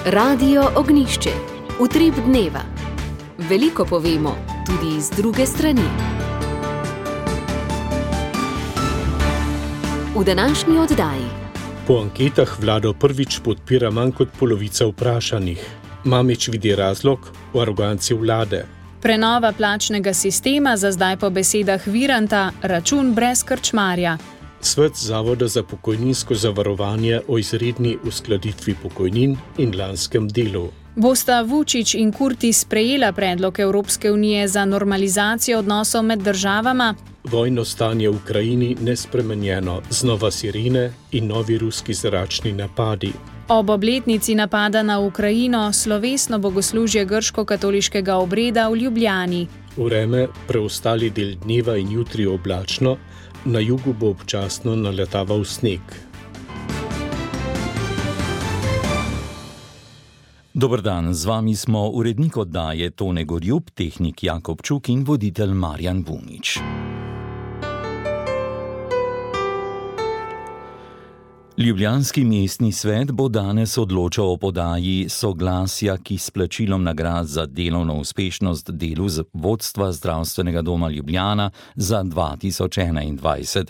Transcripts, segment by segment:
Radio Ognjišče. Utrip dneva. Veliko povemo, tudi iz druge strani. V današnji oddaji. Po anketah vlado prvič podpira manj kot polovica vprašanih. Mamić vidi razlog v aroganci vlade. Prenova plačnega sistema za zdaj po besedah Viranta račun brez krčmarja. Svet Zavoda za pokojninsko zavarovanje o izredni uskladitvi pokojnin in lanskem delu. Bosta Vučić in Kurti sprejela predlog Evropske unije za normalizacijo odnosov med državama? Vojno stanje v Ukrajini nespremenjeno, znova sirene in novi ruski zračni napadi. Ob obletnici napada na Ukrajino slovesno bogoslužje grško-katoliškega obreda v Ljubljani. Vreme preostali del dneva in jutri oblačno, na jugu bo občasno naletaval sneg. Dober dan, z vami smo urednik oddaje Tone Gorjup, tehnik Jakob Čuk in voditelj Marjan Vunič. Ljubljanski mestni svet bo danes odločal o podaji soglasja k izplačilom nagrad za delovno uspešnost delu vodstva Zdravstvenega doma Ljubljana za 2021.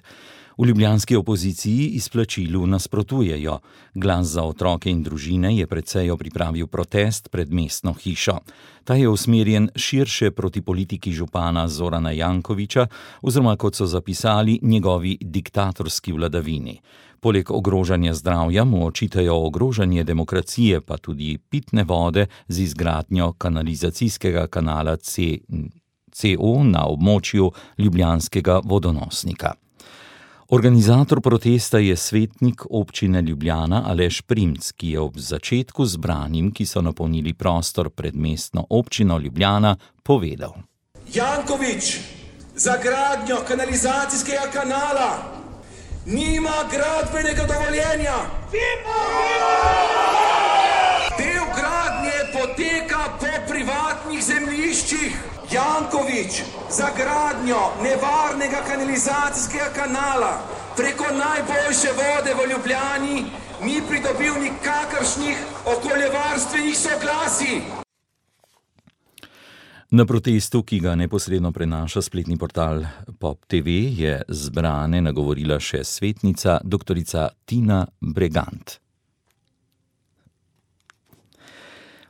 V ljubljanski opoziciji izplačilu nasprotujejo. Glas za otroke in družine je pred sejo pripravil protest pred mestno hišo. Ta je usmerjen širše proti politiki župana Zorana Jankovića oziroma, kot so zapisali, njegovi diktatorski vladavini. Poleg ogrožanja zdravja mu očitajo ogrožanje demokracije, pa tudi pitne vode z izgradnjo kanalizacijskega kanala CO na območju ljubljanskega vodonosnika. Organizator protesta je svetnik občine Ljubljana Aleš Primc, ki je ob začetku zbranim, ki so napolnili prostor pred mestno občino Ljubljana, povedal: Janković za gradnjo kanalizacijskega kanala nima gradbenega dovoljenja. Del gradnje poteka po privatnih zemljiščih. Janković za gradnjo nevarnega kanalizacijskega kanala preko najboljše vode v Ljubljani ni pridobil nikakršnih okoljevarstvenih soglasij. Na protestu, ki ga neposredno prenaša spletni portal Pop TV, je zbrane nagovorila še svetnica doktorica Tina Bregant.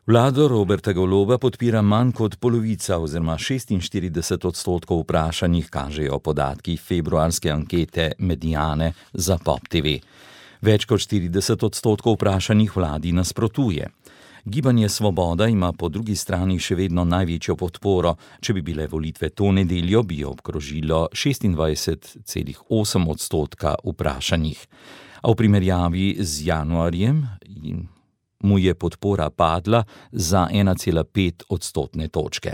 Vlado Roberta Goloba podpira manj kot polovica oziroma 46% vprašanih, kažejo podatki februarske ankete Mediane za Pop TV. Več kot 40% vprašanih vladi nasprotuje. Gibanje Svoboda ima po drugi strani še vedno največjo podporo. Če bi bile volitve to nedeljo, bi jo obkrožilo 26,8% vprašanih. A v primerjavi z januarjem mu je podpora padla za 1,5 odstotne točke.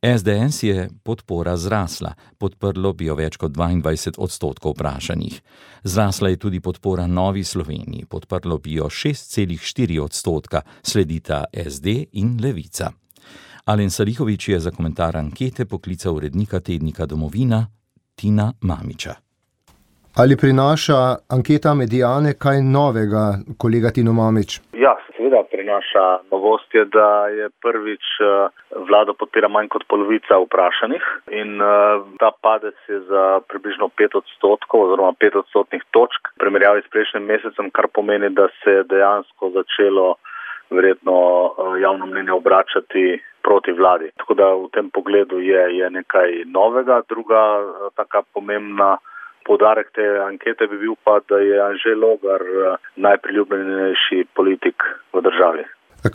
SDS je podpora zrasla, podprlo bi jo več kot 22% vprašanih. Zrasla je tudi podpora Novi Sloveniji, podprlo bi jo 6,4%, sledita SD in Levica. Alen Salihović je za komentar ankete poklical urednika tednika Domovina Tina Mamića. Ali prinaša anketa Mediane kaj novega, kolega Tino Mamić? Ja, seveda prinaša novost je, da je prvič vlado podpira manj kot polovica vprašanih in ta padec je za približno 5% oziroma 5 odstotnih točk v primerjavi s prejšnjim mesecem, kar pomeni, da se je dejansko začelo verjetno javno mnenje obračati proti vladi. Tako da v tem pogledu je nekaj novega. Druga taka pomembna poudarek te ankete bi bil pa, da je Anže Logar najpriljubljenejši politik v državi.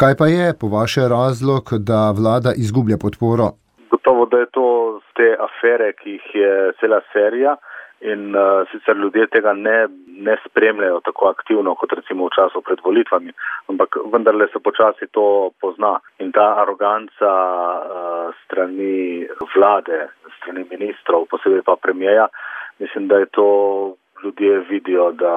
Kaj pa je po vaše razlog, da vlada izgublja podporo? Gotovo, da je to z te afere, ki jih je cela serija in sicer ljudje tega ne spremljajo tako aktivno, kot recimo v času pred volitvami, ampak vendarle se počasi to pozna. In ta aroganca strani vlade, strani ministrov, posebej pa premijeja, mislim, da je to ljudje vidijo, da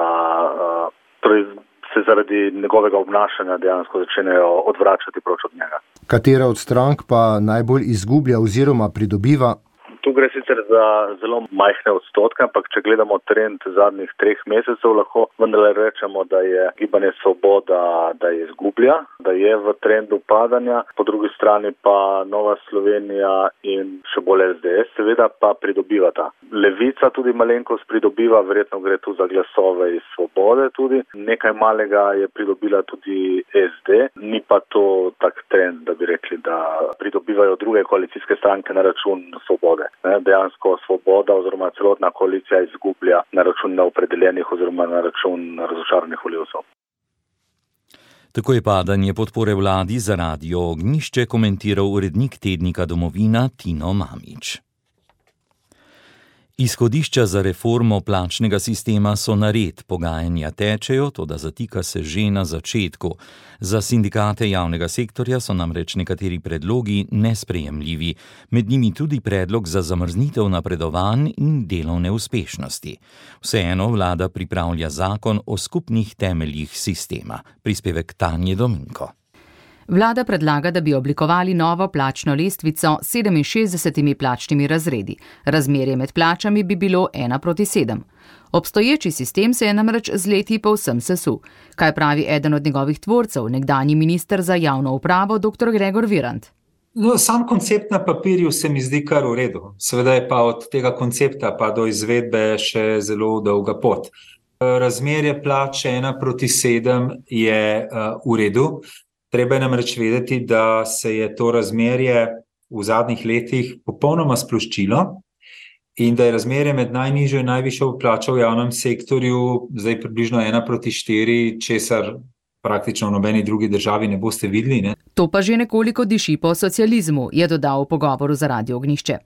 se zaradi njegovega obnašanja dejansko začnejo odvračati proč od njega. Katera od strank pa najbolj izgublja oziroma pridobiva? Tu gre sicer za zelo majhne odstotke, ampak če gledamo trend zadnjih 3 mesecev, lahko vendarle rečemo, da je Gibanje Svoboda, da izgublja, da je v trendu padanja, po drugi strani pa Nova Slovenija in še bolj SDS seveda pa pridobivata. Levica tudi malenkost pridobiva, verjetno gre tu za glasove iz Svobode tudi. Nekaj malega je pridobila tudi SD, ni pa to tak trend, da bi rekli, da pridobivajo druge koalicijske stranke na račun Svobode. Dejansko Svoboda oziroma celotna koalicija izgublja na račun neopredeljenih oziroma na račun razočaranih volivcev. Tako je padanje podpore vladi za Radio Ognjišče komentiral urednik tednika Domovina Tino Mamić. Izhodišča za reformo plačnega sistema so nared, pogajanja tečejo, toda zatika se že na začetku. Za sindikate javnega sektorja so namreč nekateri predlogi nesprejemljivi, med njimi tudi predlog za zamrznitev napredovanj in delovne uspešnosti. Vseeno vlada pripravlja zakon o skupnih temeljih sistema. Prispevek Tanje Dominko. Vlada predlaga, da bi oblikovali novo plačno lestvico s 67 plačnimi razredi. Razmerje med plačami bi bilo 1:7. Obstoječi sistem se je namreč z leti povsem sesul. Kaj pravi eden od njegovih tvorcev, nekdanji minister za javno upravo, dr. Gregor Virant? Sam koncept na papirju se mi zdi kar v redu. Seveda je pa od tega koncepta pa do izvedbe še zelo dolga pot. Razmerje plače 1:7 je v redu. Treba je namreč vedeti, da se je to razmerje v zadnjih letih popolnoma sploščilo in da je razmerje med najnižjo in najvišjo plačo v javnem sektorju zdaj približno 1:4, česar praktično v nobeni drugi državi ne boste videli. Ne? To pa že nekoliko diši po socializmu, je dodal v pogovoru za Radio Ognjišče.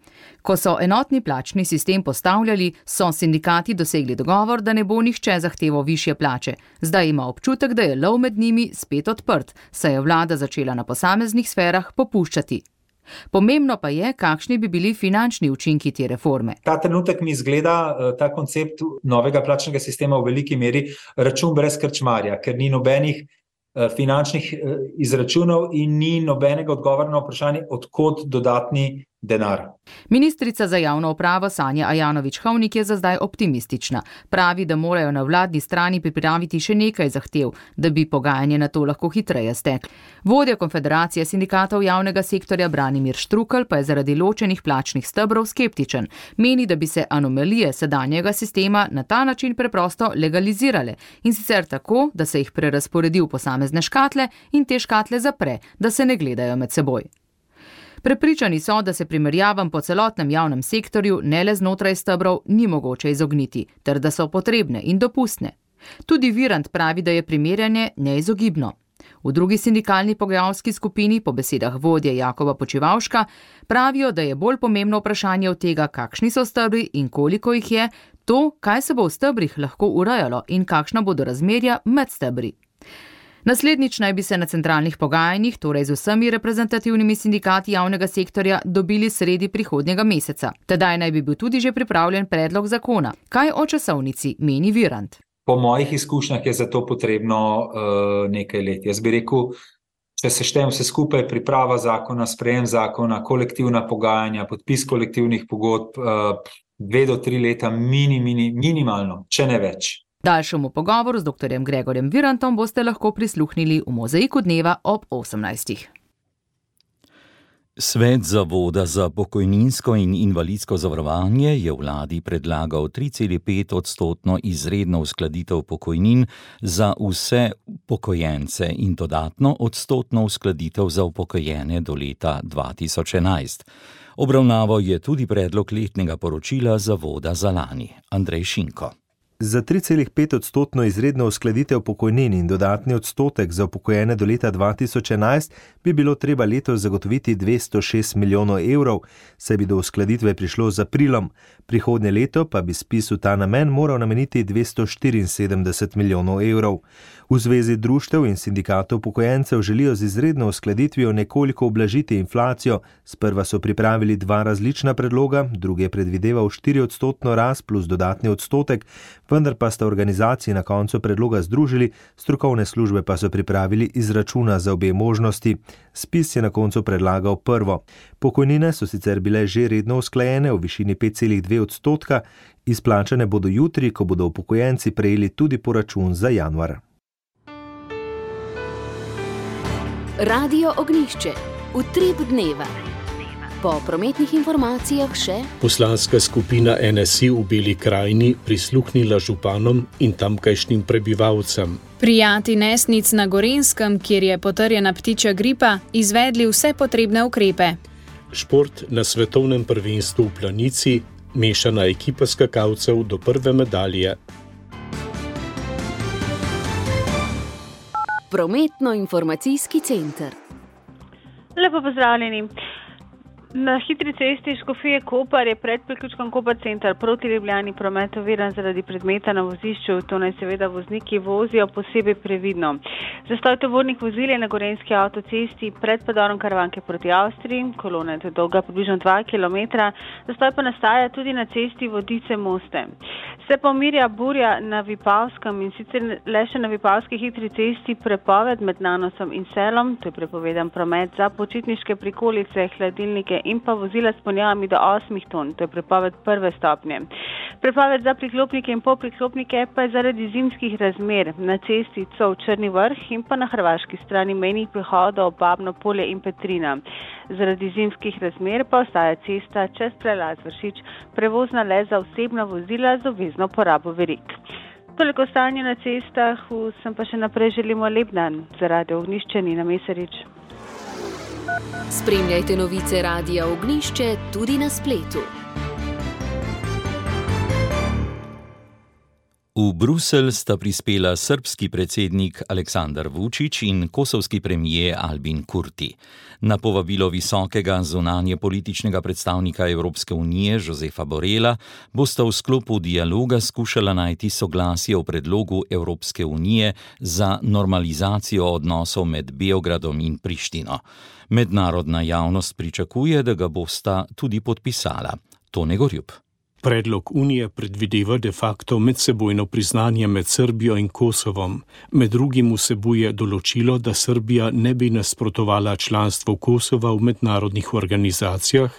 Ko so enotni plačni sistem postavljali, so sindikati dosegli dogovor, da ne bo nihče zahteval višje plače. Zdaj ima občutek, da je lov med njimi spet odprt, saj je vlada začela na posameznih sferah popuščati. Pomembno pa je, kakšni bi bili finančni učinki te reforme. Ta trenutek mi izgleda ta koncept novega plačnega sistema v veliki meri račun brez krčmarja, ker ni nobenih finančnih izračunov in ni nobenega odgovora na vprašanje, od kod dodatni denar. Ministrica za javno upravo Sanja Ajanović-Hovnik je za zdaj optimistična. Pravi, da morajo na vladni strani pripraviti še nekaj zahtev, da bi pogajanje na to lahko hitreje steklo. Vodja Konfederacije sindikatov javnega sektorja Branimir Štrukelj pa je zaradi ločenih plačnih stebrov skeptičen. Meni, da bi se anomalije sedanjega sistema na ta način preprosto legalizirale in sicer tako, da se jih prerazporedi v posamezne škatle in te škatle zapre, da se ne gledajo med seboj. Prepričani so, da se primerjavam po celotnem javnem sektorju ne le znotraj stebrov ni mogoče izogniti, ter da so potrebne in dopustne. Tudi Virant pravi, da je primerjanje neizogibno. V drugi sindikalni pogajalski skupini, po besedah vodje Jakoba Počivavška, pravijo, da je bolj pomembno vprašanje od tega, kakšni so stebri in koliko jih je, to, kaj se bo v stebrih lahko urejalo in kakšna bodo razmerja med stebri. Naslednjič naj bi se na centralnih pogajanjih, torej z vsemi reprezentativnimi sindikati javnega sektorja, dobili sredi prihodnjega meseca. Tedaj naj bi bil tudi že pripravljen predlog zakona. Kaj o časovnici meni Virant? Po mojih izkušnjah je za to potrebno nekaj let. Jaz bi rekel, če se štejem vse skupaj, priprava zakona, sprejem zakona, kolektivna pogajanja, podpis kolektivnih pogodb, 2 do 3 leta minimalno, če ne več. Daljšemu pogovoru z dr. Gregorjem Virantom boste lahko prisluhnili v Mozaiku dneva ob 18. Svet Zavoda za pokojninsko in invalidsko zavarovanje je vladi predlagal 3,5% izredno uskladitev pokojnin za vse upokojence in dodatno odstotno uskladitev za upokojene do leta 2011. Obravnaval je tudi predlog letnega poročila Zavoda za lani. Andrej Šinko. Za 3,5% izredno uskladitev pokojnin in dodatni odstotek za upokojene do leta 2011 bi bilo treba letos zagotoviti 206 milijonov evrov, saj bi do uskladitve prišlo z aprilom. Prihodnje leto pa bi ZPIZ v ta namen moral nameniti 274 milijonov evrov. V Zvezi društev in sindikatov upokojencev želijo z izredno uskladitvijo nekoliko ublažiti inflacijo. Sprva so pripravili 2 različna predloga, drugi je predvideval 4% rast plus dodatni odstotek, vendar pa sta organizaciji na koncu predloga združili, strokovne službe pa so pripravili izračuna za obe možnosti. Spis je na koncu predlagal prvo. Pokojnine so sicer bile že redno usklajene v višini 5,2%, izplačane bodo jutri, ko bodo upokojenci prejeli tudi poračun za januar. Radio Ognjišče. Utrip dneva. Po prometnih informacijah še poslanska skupina NSI v Beli krajini prisluhnila županom in tamkajšnjim prebivalcem. Prijati Nesnic na Gorenjskem, kjer je potrjena ptičja gripa, izvedli vse potrebne ukrepe. Šport na svetovnem prvenstvu v Planici, mešana ekipa skakalcev do prve medalje. Prometno-informacijski center. Lepo pozdravljeni. Na hitri cesti Škofije Koper je pred priključkom Koper center proti Ljubljani promet oviran zaradi predmeta na vozišču, to naj seveda vozniki vozijo posebej previdno. Zastoj tovornih vozil je na Gorenjski avtocesti pred predorom Karavanke proti Avstriji, kolona je dolga približno 2 km, zastoj pa nastaja tudi na cesti Vodice-Moste. Se pa umirja burja na Vipavskem in sicer le še na Vipavski hitri cesti prepoved med Nanosom in Selom, to je prepovedan promet za počitniške prikolice, hladilnike in pa vozila s ponjavami do 8 ton, to je prepoved prve stopnje. Prepoved za priklopnike in polpriklopnike pa je zaradi zimskih razmer na cesti Cov Črni vrh in pa na hrvaški strani mejnih prehodov Babno polje in Petrina. Zaradi zimskih razmer pa ostaja cesta čez prelaz Vršič prevozna le za osebna vozila z obvezno porabo verig. Toliko stanje na cestah, vsem pa še naprej želimo lep dan. Za Radio Ognjišče Nina Mesarič. Spremljajte novice Radia Ognjišče tudi na spletu. V Bruselj sta prispela srbski predsednik Aleksandar Vučić in kosovski premijer Albin Kurti. Na povabilo visokega zunanjepolitičnega predstavnika Evropske unije Josefa Borrella bosta v sklopu dialoga skušala najti soglasje o predlogu Evropske unije za normalizacijo odnosov med Beogradom in Prištino. Mednarodna javnost pričakuje, da ga bosta tudi podpisala. Tone Gorjup. Predlog Unije predvideva de facto medsebojno priznanje med Srbijo in Kosovom. Med drugim vsebuje določilo, da Srbija ne bi nasprotovala članstvu Kosova v mednarodnih organizacijah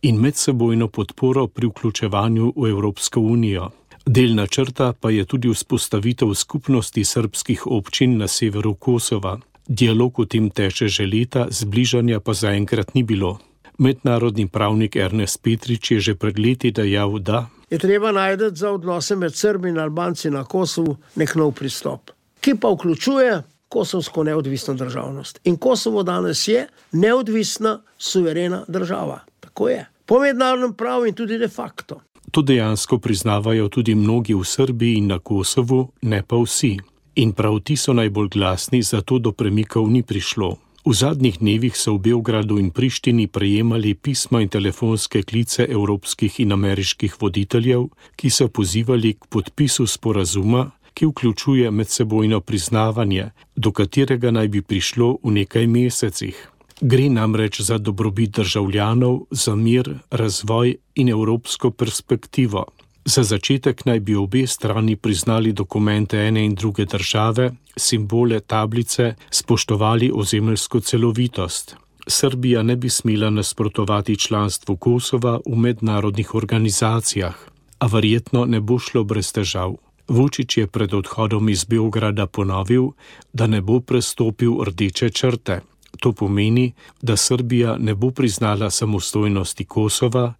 in medsebojno podporo pri vključevanju v Evropsko unijo. Del načrta pa je tudi vzpostavitev skupnosti srbskih občin na severu Kosova. Dialog o tem teče že leta, zbližanja pa zaenkrat ni bilo. Mednarodni pravnik Ernest Petrič je že pred leti dejal, da je treba najti za odnose med Srbi in Albanci na Kosovu nek nov pristop, ki pa vključuje kosovsko neodvisno državnost. In Kosovo danes je neodvisna, suverena država. Tako je. Po mednarodnem pravu in tudi de facto. To dejansko priznavajo tudi mnogi v Srbiji in na Kosovu, ne pa vsi. In prav ti so najbolj glasni, zato do premikov ni prišlo. V zadnjih dnevih so v Beogradu in Prištini prejemali pisma in telefonske klice evropskih in ameriških voditeljev, ki so pozivali k podpisu sporazuma, ki vključuje medsebojno priznavanje, do katerega naj bi prišlo v nekaj mesecih. Gre namreč za dobrobit državljanov, za mir, razvoj in evropsko perspektivo. Za začetek naj bi obe strani priznali dokumente ene in druge države, simbole, tablice, spoštovali ozemeljsko celovitost. Srbija ne bi smela nasprotovati članstvu Kosova v mednarodnih organizacijah, a verjetno ne bo šlo brez težav. Vučić je pred odhodom iz Beograda ponovil, da ne bo prestopil rdeče črte. To pomeni, da Srbija ne bo priznala samostojnosti Kosova,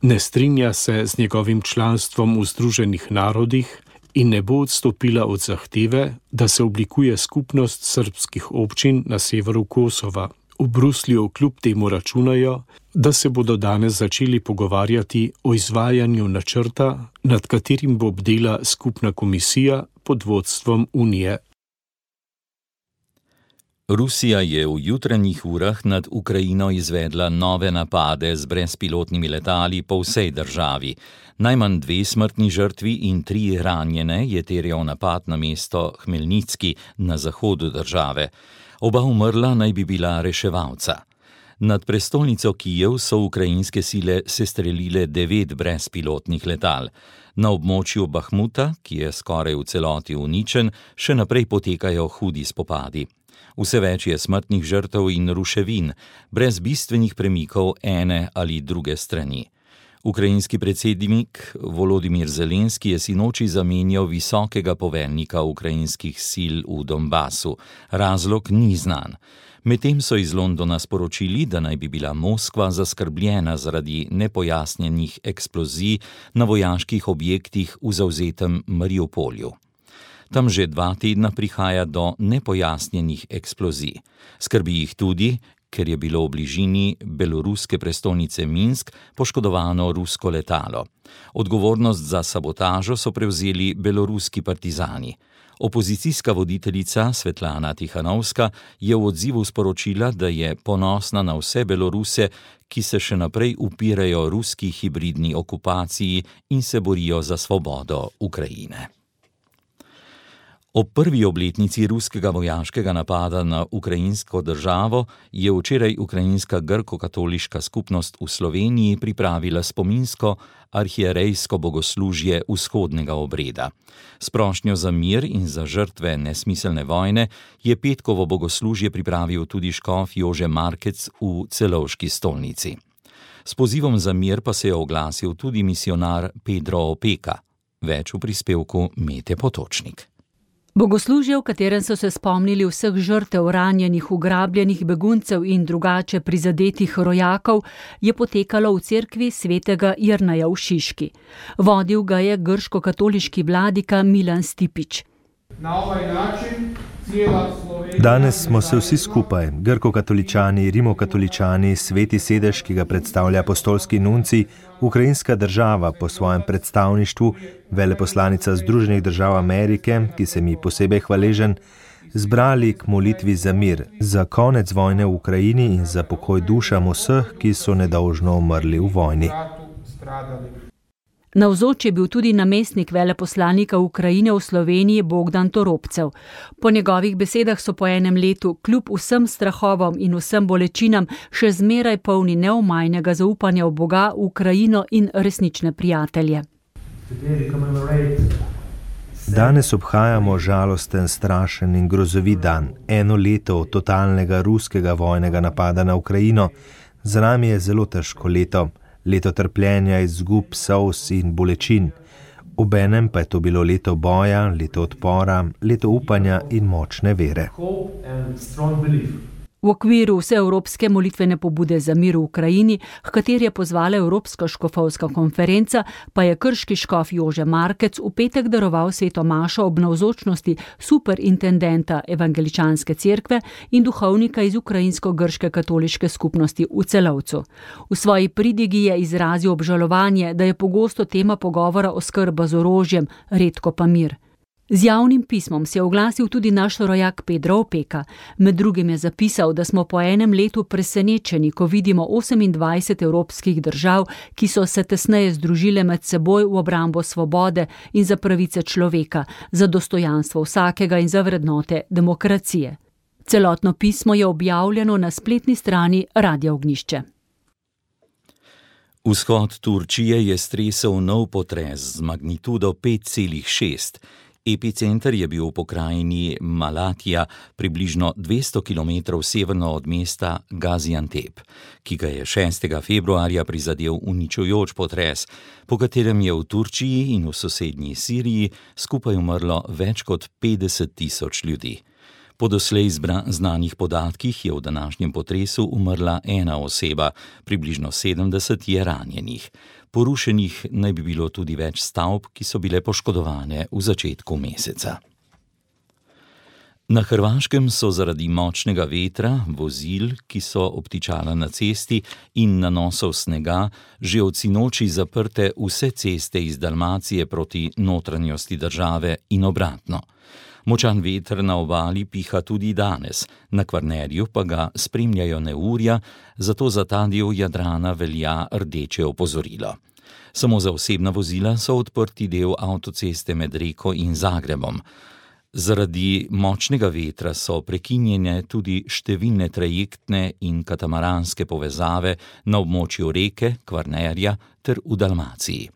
ne strinja se z njegovim članstvom v Združenih narodih in ne bo odstopila od zahteve, da se oblikuje skupnost srbskih občin na severu Kosova. V Bruslju kljub temu računajo, da se bodo danes začeli pogovarjati o izvajanju načrta, nad katerim bo bdela skupna komisija pod vodstvom Unije. Rusija je v jutranjih urah nad Ukrajino izvedla nove napade z brezpilotnimi letali po vsej državi. Najmanj 2 smrtni žrtvi in 3 ranjene je terjal napad na mesto Hmelnicki na zahodu države. Oba umrla naj bi bila reševalca. Nad prestolnico Kijev so ukrajinske sile sestrelile 9 brezpilotnih letal. Na območju Bahmuta, ki je skoraj v celoti uničen, še naprej potekajo hudi spopadi. Vse več je smrtnih žrtev in ruševin, brez bistvenih premikov ene ali druge strani. Ukrajinski predsednik Volodimir Zelenski je sinoči zamenjal visokega poveljnika ukrajinskih sil v Donbasu. Razlog ni znan. Medtem so iz Londona sporočili, da naj bi bila Moskva zaskrbljena zaradi nepojasnjenih eksplozij na vojaških objektih v zavzetem Mariupolju. Tam že 2 tedna prihaja do nepojasnjenih eksplozij. Skrbi jih tudi, ker je bilo v bližini beloruske prestolnice Minsk poškodovano rusko letalo. Odgovornost za sabotažo so prevzeli beloruski partizani. Opozicijska voditeljica Svetlana Tihanovska je v odzivu sporočila, da je ponosna na vse Beloruse, ki se še naprej upirajo ruski hibridni okupaciji in se borijo za svobodo Ukrajine. Ob prvi obletnici ruskega vojaškega napada na ukrajinsko državo je včeraj ukrajinska grko-katoliška skupnost v Sloveniji pripravila spominsko arhierejsko bogoslužje vzhodnega obreda. S prošnjo za mir in za žrtve nesmiselne vojne je petkovo bogoslužje pripravil tudi škof Jože Markec v Celovški stolnici. S pozivom za mir pa se je oglasil tudi misionar Pedro Opeka. Več v prispevku Mete Potočnik. Bogoslužje, v katerem so se spomnili vseh žrtev ranjenih, ugrabljenih beguncev in drugače prizadetih rojakov, je potekalo v cerkvi svetega Jerneja v Šiški. Vodil ga je grško-katoliški vladika Milan Stipić. Na ovaj način cijela Slovenija... Danes smo se vsi skupaj, grko-katoličani, rimokatoličani, sveti sedež, ki ga predstavlja apostolski nuncij, ukrajinska država po svojem predstavništvu, veleposlanica Združenih držav Amerike, ki se mi posebej hvaležen, zbrali k molitvi za mir, za konec vojne v Ukrajini in za pokoj dušam vseh, ki so nedolžno umrli v vojni. Navzoč je bil tudi namestnik veleposlanika Ukrajine v Sloveniji Bogdan Toropcev. Po njegovih besedah so po enem letu, kljub vsem strahovom in vsem bolečinam, še zmeraj polni neomajnega zaupanja v Boga, v Ukrajino in resnične prijatelje. Danes obhajamo žalosten, strašen in grozovit dan. 1 leto od totalnega ruskega vojnega napada na Ukrajino. Za nami je zelo težko leto. Leto trpljenja, izgub, solz in bolečin. Obenem pa je to bilo leto boja, leto odpora, leto upanja in močne vere. V okviru vseevropske molitvene pobude za mir v Ukrajini, h kateri je pozvala Evropska škofovska konferenca, pa je krški škof Jože Markec v petek daroval sveto mašo ob navzočnosti superintendenta evangeličanske cerkve in duhovnika iz ukrajinsko-grške katoliške skupnosti v Celovcu. V svoji pridigi je izrazil obžalovanje, da je pogosto tema pogovora oskrba z orožjem, redko pa mir. Z javnim pismom se je oglasil tudi naš rojak Pedro Opeka. Med drugim je zapisal, da smo po enem letu presenečeni, ko vidimo 28 evropskih držav, ki so se tesneje združile med seboj v obrambo svobode in za pravice človeka, za dostojanstvo vsakega in za vrednote demokracije. Celotno pismo je objavljeno na spletni strani Radia Ognjišče. Vzhod Turčije je stresel nov potres z magnitudo 5,6. Epicenter je bil v pokrajini Malatija, približno 200 km severno od mesta Gaziantep, ki ga je 6. februarja prizadel uničujoč potres, po katerem je v Turčiji in v sosednji Siriji skupaj umrlo več kot 50 000 ljudi. Po doslej znanih podatkih je v današnjem potresu umrla 1 oseba, približno 70 je ranjenih. Porušenih naj bi bilo tudi več stavb, ki so bile poškodovane v začetku meseca. Na Hrvaškem so zaradi močnega vetra, vozil, ki so obtičala na cesti in nanosov snega, že od sinoči zaprte vse ceste iz Dalmacije proti notranjosti države in obratno. Močan veter na obali piha tudi danes, na Kvarnerju pa ga spremljajo neurja, zato za ta del Jadrana velja rdeče opozorilo. Samo za osebna vozila so odprti del avtoceste med Reko in Zagrebom. Zaradi močnega vetra so prekinjene tudi številne trajektne in katamaranske povezave na območju Reke, Kvarnerja ter v Dalmaciji.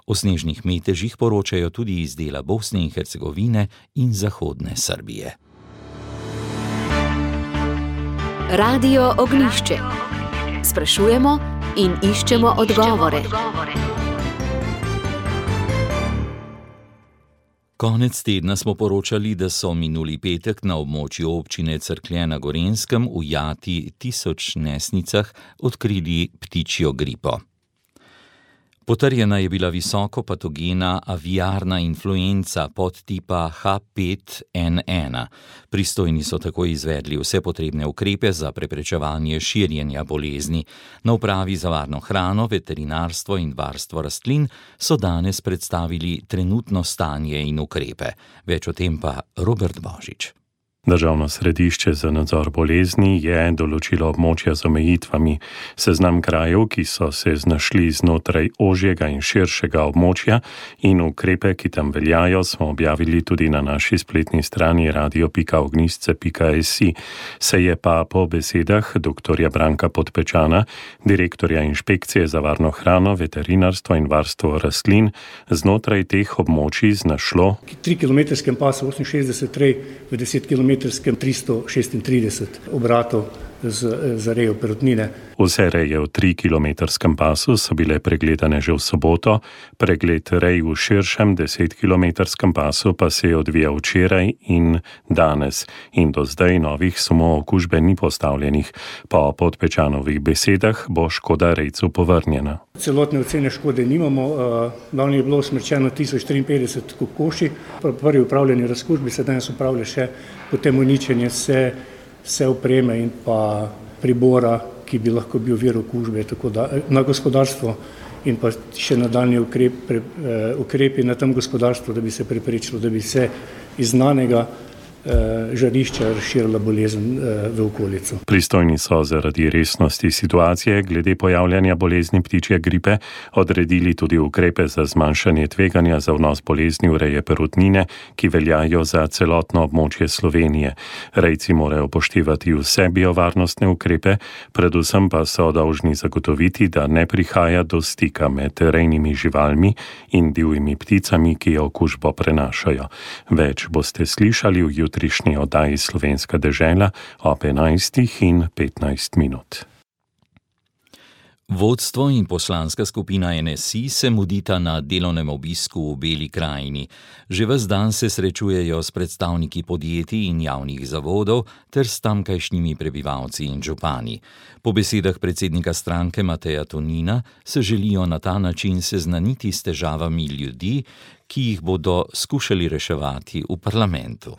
O snežnih metežih poročajo tudi iz dela Bosne in Hercegovine in zahodne Srbije. Radio Ognjišče. Sprašujemo in iščemo odgovore. Konec tedna smo poročali, da so minuli petek na območju občine Cerklje na Gorenjskem v Jati 1000 nesnicah odkrili ptičjo gripo. Potrjena je bila visoko patogena aviarna influenca podtipa H5N1. Pristojni so tako izvedli vse potrebne ukrepe za preprečevanje širjenja bolezni. Na upravi za varno hrano, veterinarstvo in varstvo rastlin so danes predstavili trenutno stanje in ukrepe. Več o tem pa Robert Božič. Državno središče za nadzor bolezni je določilo območja z omejitvami. Seznam krajev, ki so se znašli znotraj ožjega in širšega območja in ukrepe, ki tam veljajo, smo objavili tudi na naši spletni strani radio.ognjisce.si. Se je pa po besedah dr. Branka Podpečana, direktorja inšpekcije za varno hrano, veterinarstvo in varstvo rastlin, znotraj teh območij znašlo 3 km pasu 68 rej v 10 km 336 obratov za rejo perutnine. Vse reje v 3-kilometrskem pasu so bile pregledane že v soboto, pregled rej v širšem 10-kilometrskem pasu pa se je odvijal včeraj in danes in do zdaj novih sumov okužbe ni postavljenih. Po Podpečanovih besedah bo škoda rejcu povrnjena. Celotne ocene škode nimamo, lani je bilo usmrčeno 1053 kokoši, prvi upravljanje razkužbi se danes upravlja še potem uničenje vse opreme in pa pribora, ki bi lahko bil vir okužbe, tako da na gospodarstvo in pa še nadaljnji ukrepi na tem gospodarstvu, da bi se preprečilo, da bi se iz znanega žarišča razširila bolezen v okolico. Pristojni so zaradi resnosti situacije glede pojavljanja bolezni ptičje gripe odredili tudi ukrepe za zmanjšanje tveganja za vnos bolezni v reje perutnine, ki veljajo za celotno območje Slovenije. Rejci morajo upoštevati vse biovarnostne ukrepe, predvsem pa so dolžni zagotoviti, da ne prihaja do stika med rejnimi živalmi in divjimi pticami, ki okužbo prenašajo. Več boste slišali v jutrišnji oddaji Slovenska dežela ob 11:15. Vodstvo in poslanska skupina NSI se mudita na delovnem obisku v Beli krajini. Že ves dan se srečujejo s predstavniki podjetij in javnih zavodov ter s tamkajšnjimi prebivalci in župani. Po besedah predsednika stranke Mateja Tonina se želijo na ta način seznaniti s težavami ljudi, ki jih bodo skušali reševati v parlamentu.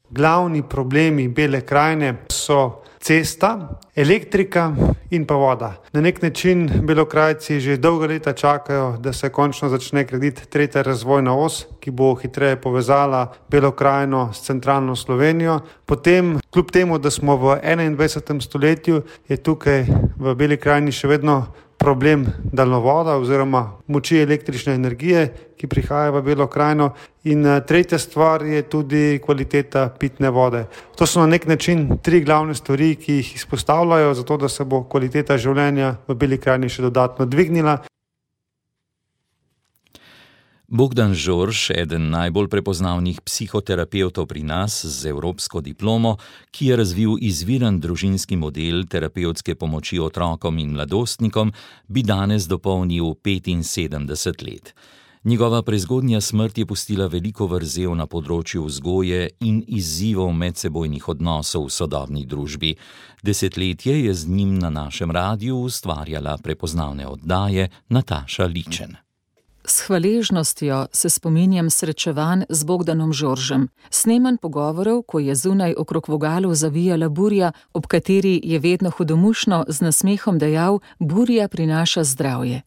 Glavni problemi Bele krajine so cesta, elektrika in pa voda. Na nek način Belokrajci že dolgo leta čakajo, da se končno začne graditi tretja razvojna os, ki bo hitreje povezala Belo krajino s centralno Slovenijo. Potem, kljub temu, da smo v 21. stoletju, je tukaj v Beli krajini še vedno problem daljnovoda oziroma moči električne energije, ki prihaja v Belo krajino. In tretja stvar je tudi kvaliteta pitne vode. To so na nek način 3 glavne stvari, ki jih izpostavljajo, zato da se bo kvaliteta življenja v Beli krajini še dodatno dvignila. Bogdan Žorž, eden najbolj prepoznavnih psihoterapevtov pri nas z evropsko diplomo, ki je razvil izviren družinski model terapevtske pomoči otrokom in mladostnikom, bi danes dopolnil 75 let. Njegova prezgodnja smrt je pustila veliko vrzel na področju vzgoje in izzivov medsebojnih odnosov v sodobni družbi. Desetletje je z njim na našem radiju ustvarjala prepoznavne oddaje Nataša Ličen. S hvaležnostjo se spominjam srečevanj z Bogdanom Žoržem, snemanj pogovorov, ko je zunaj okrog vogalov zavijala burja, ob kateri je vedno hudomušno z nasmehom dejal: burja prinaša zdravje.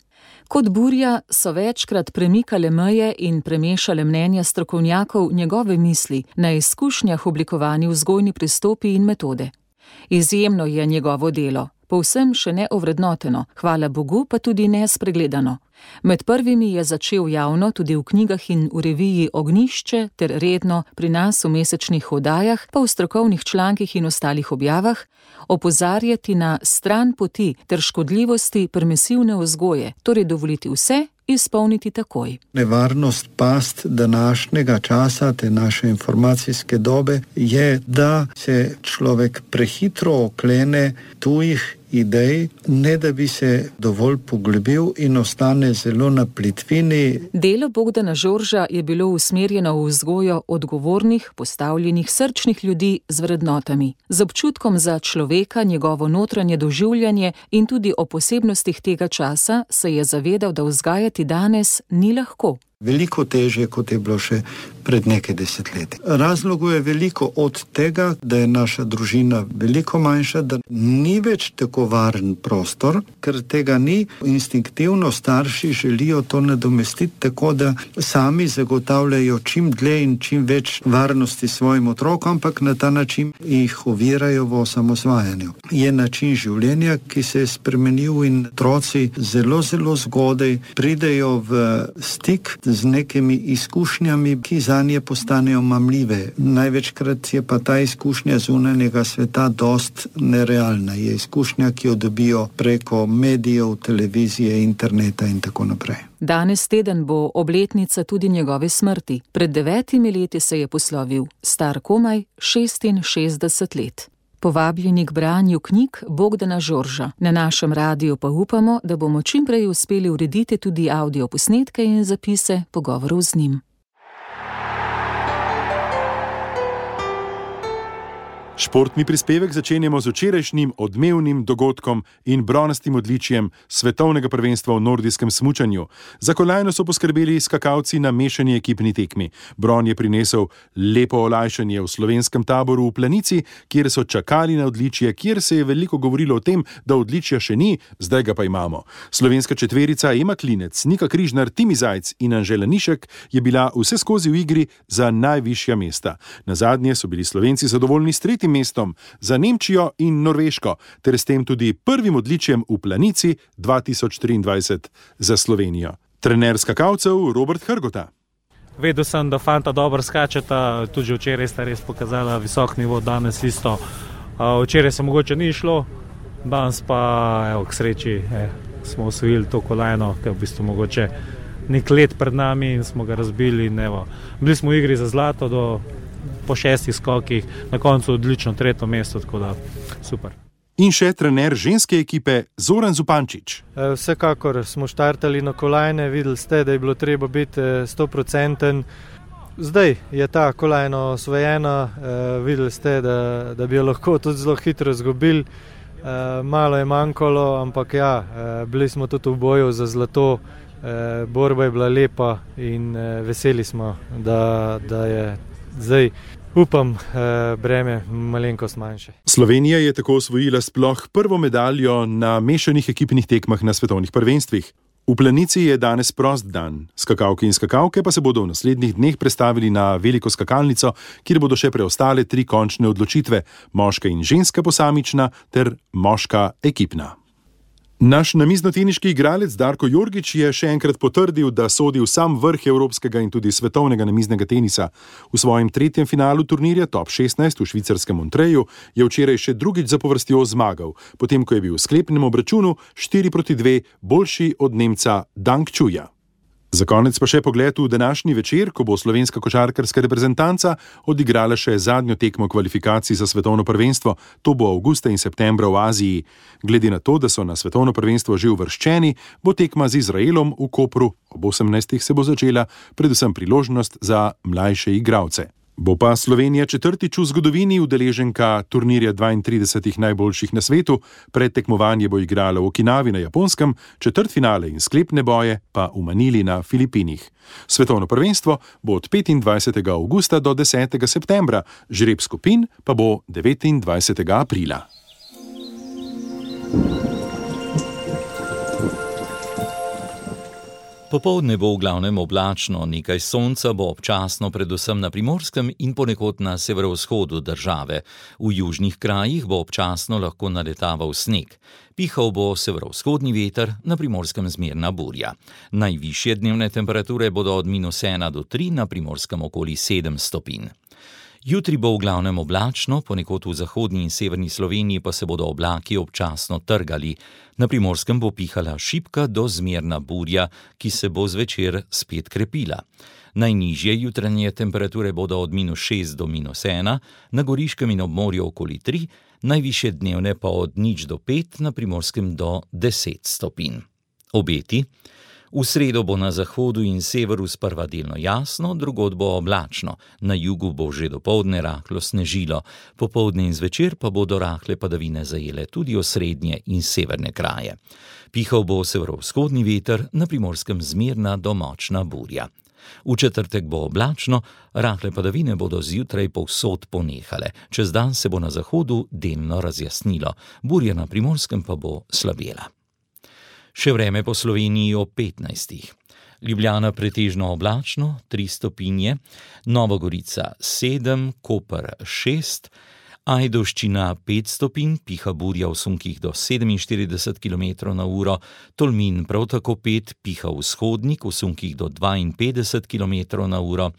Kot burja so večkrat premikale meje in premešale mnenja strokovnjakov njegove misli na izkušnjah oblikovani vzgojni pristopi in metode. Izjemno je njegovo delo, povsem še neovrednoteno, hvala Bogu pa tudi nespregledano. Med prvimi je začel javno tudi v knjigah in v reviji Ognjišče ter redno pri nas v mesečnih oddajah, pa v strokovnih člankih in ostalih objavah, opozarjati na stran poti ter škodljivosti permisivne vzgoje, torej dovoliti vse, izpolniti takoj. Nevarnost past današnjega časa, te naše informacijske dobe, je, da se človek prehitro oklene tujih idej, ne da bi se dovolj poglobil in ostane zelo na plitvini. Delo Bogdana Žorža je bilo usmerjeno v vzgojo odgovornih, postavljenih srčnih ljudi z vrednotami, z občutkom za človeka, njegovo notranje doživljanje in tudi o posebnostih tega časa se je zavedal, da vzgajati danes ni lahko. Veliko težje, kot je bilo še pred nekaj desetletji. Razlogov je veliko, od tega, da je naša družina veliko manjša, da ni več tako varen prostor, ker tega ni. Instinktivno starši želijo to nadomestiti tako, da sami zagotavljajo čim dlje in čim več varnosti svojim otrokom, ampak na ta način jih ovirajo v osamosvajanju. Je način življenja, ki se je spremenil in otroci zelo, zelo zgodaj pridejo v stik z nekimi izkušnjami, ki zanje postanejo mamljive. Največkrat je pa ta izkušnja zunanjega sveta dost nerealna. Je izkušnja, ki jo dobijo preko medijev, televizije, interneta in tako naprej. Danes teden bo obletnica tudi njegove smrti. Pred 9 leti se je poslovil, star komaj 66 let. Povabljeni k branju knjig Bogdana Žorža. Na našem radiju pa upamo, da bomo čim prej uspeli urediti tudi avdioposnetke in zapise pogovorov z njim. Športni prispevek začenjamo z včerajšnjim odmevnim dogodkom in bronastim odličjem svetovnega prvenstva v nordijskem smučanju. Za kolajno so poskrbeli skakalci na mešani ekipni tekmi. Bron je prinesel lepo olajšanje v slovenskem taboru v Planici, kjer so čakali na odličje, kjer se je veliko govorilo o tem, da odličja še ni, zdaj ga pa imamo. Slovenska četverica Ema Klinec, Nika Križnar, Timi Zajc in Anžela Nišek je bila vse skozi v igri za najvišja mesta. Nazadnje so bili Slovenci zadovoljni s tretjim mestom za Nemčijo in Norveško, ter s tem tudi prvim odličjem v Planici 2023 za Slovenijo. Trener skakalcev Robert Hrgota. Vedel sem, da fanta dobro skačeta, tudi včeraj sta res pokazala visok nivo, danes isto. Včeraj se mogoče ni šlo, danes pa k sreči smo osvojili to kolajno, ki je v bistvu mogoče nek let pred nami in smo ga razbili. Bili smo v igri za zlato po 6 skokih, na koncu odlično 3. mesto, tako da super. In še trener ženske ekipe Zoran Zupančič. Vsekakor smo štartali na kolajne, videli ste, da je bilo treba biti 100%. Zdaj je ta kolajna osvojena, videli ste, da bi jo lahko tudi zelo hitro izgubili. Malo je manjkalo, ampak ja, bili smo tudi v boju za zlato, borba je bila lepa in veseli smo, da je zdaj, upam, breme malenkost manjše. Slovenija je tako osvojila sploh prvo medaljo na mešanih ekipnih tekmah na svetovnih prvenstvih. V Planici je danes prost dan. Skakalke in skakalke pa se bodo v naslednjih dneh prestavili na veliko skakalnico, kjer bodo še preostale 3 končne odločitve, moška in ženska posamična ter moška ekipna. Naš namiznoteniški igralec Darko Jorgič je še enkrat potrdil, da sodi v sam vrh evropskega in tudi svetovnega namiznega tenisa. V svojem 3. finalu turnirja Top 16 v švicarskem Montreju je včeraj še drugič zapovrstjo zmagal, potem ko je bil v sklepnem obračunu 4-2 boljši od Nemca Dang Čuja. Za konec pa še pogled v današnji večer, ko bo slovenska košarkarska reprezentanca odigrala še zadnjo tekmo kvalifikacij za svetovno prvenstvo. To bo avgusta in septembra v Aziji. Glede na to, da so na svetovno prvenstvo že uvrščeni, bo tekma z Izraelom v Kopru. Ob 18. se bo začela, predvsem priložnost za mlajše igralce. Bo pa Slovenija 4. v zgodovini udeleženka turnirja 32 najboljših na svetu. Predtekmovanje bo igrala v Okinavi na Japonskem, četrtfinale in sklepne boje pa v Manili na Filipinih. Svetovno prvenstvo bo od 25. avgusta do 10. septembra, žreb skupin pa bo 29. aprila. Popoldne bo v glavnem oblačno, nekaj sonca bo občasno predvsem na Primorskem in ponekod na severovzhodu države. V južnih krajih bo občasno lahko naletaval sneg. Pihal bo severovzhodni veter, na Primorskem zmerna burja. Najvišje dnevne temperature bodo od -1 do 3, na Primorskem okoli 7 stopinj. Jutri bo v glavnem oblačno, ponekod v zahodni in severni Sloveniji pa se bodo oblaki občasno trgali. Na Primorskem bo pihala šibka do zmerna burja, ki se bo zvečer spet krepila. Najnižje jutranje temperature bodo od -6 do -1, na Goriškem in ob morju okoli 3, najvišje dnevne pa od 0 do 5, na Primorskem do 10 stopinj. Obeti. V sredo bo na zahodu in severu sprva delno jasno, drugod bo oblačno. Na jugu bo že dopoldne rahlo snežilo, popoldne in zvečer pa bodo rahle padavine zajele tudi osrednje in severne kraje. Pihal bo severovzhodni veter, na Primorskem zmerna do močna burja. V četrtek bo oblačno, rahle padavine bodo zjutraj povsod ponehale. Čez dan se bo na zahodu delno razjasnilo, burja na Primorskem pa bo slabela. Še vreme po Sloveniji ob 15. Ljubljana pretežno oblačno, 3 stopinje, Nova Gorica 7, Koper 6, Ajdovščina 5 stopinj, piha burja v sunkih do 47 km/h, Tolmin prav tako 5, piha vzhodnik v sunkih do 52 km/h,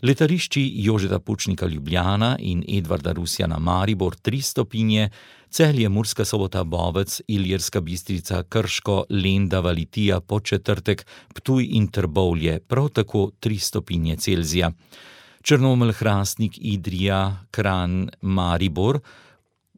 letališči Jožeta Pučnika Ljubljana in Edvarda Rusjana Maribor 3 stopinje, Celje, Murska Sobota, Bovec, Ilirska Bistrica, Krško, Lendava, Litija, Podčetrtek, Ptuj in Trbovlje prav tako 3 stopinje Celzija. Črnomelj, Hrastnik, Idrija, Kranj, Maribor,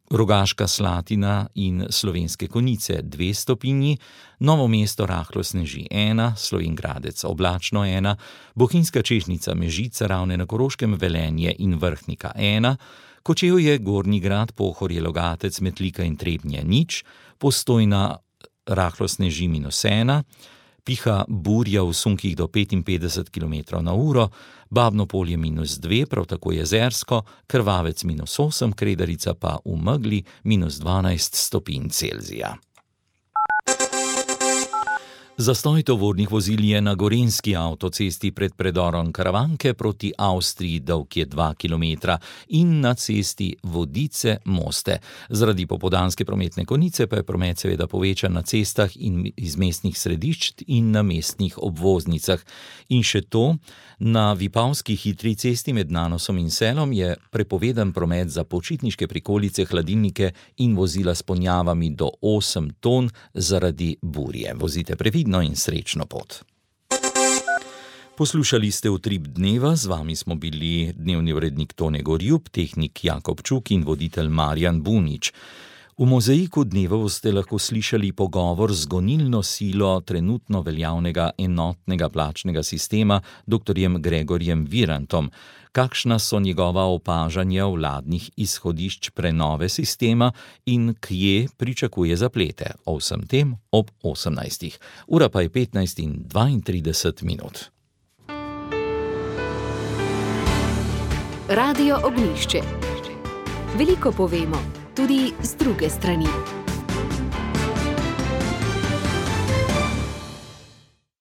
Rogaška Slatina in Slovenske Konjice 2 stopinji, Novo mesto rahlo sneži 1, Slovenj Gradec oblačno 1, Bohinjska Čežnica, Mežica, Ravne na Koroškem, Velenje in Vrhnika 1, Kočevje, Gornji Grad, Pohorje, Logatec, Metlika in Trebnje 0, Postojna rahlo sneži -1, piha burja v sunkih do 55 km/h, Babno Polje -2, prav tako Jezersko, Krvavec -8, Kredarica pa v megli -12 stopinj Celzija. Zastoj tovornih vozil je na Gorenjski avtocesti pred predorom Karavanke proti Avstriji, dolg je 2 km, in na cesti Vodice-Moste. Zaradi popoldanske prometne konice pa je promet seveda povečan na cestah in iz mestnih središč in na mestnih obvoznicah. In še to, na Vipavski hitri cesti med Nanosom in Selom je prepovedan promet za počitniške prikolice, hladilnike in vozila s ponjavami do 8 ton zaradi burje. Vozite previdno in srečno pot. Poslušali ste Utrip dneva, z vami smo bili dnevni urednik Tone Gorjup, tehnik Jakob Čuk in voditelj Marjan Bunič. V mozaiku dneva boste lahko slišali pogovor z gonilno silo trenutno veljavnega enotnega plačnega sistema dr. Gregorjem Virantom. Kakšna so njegova opažanja vladnih izhodišč prenove sistema in kje pričakuje zaplete. O vsem tem ob 18. Ura pa je 15:32. Radio Ognjišče. Veliko povemo, tudi z druge strani.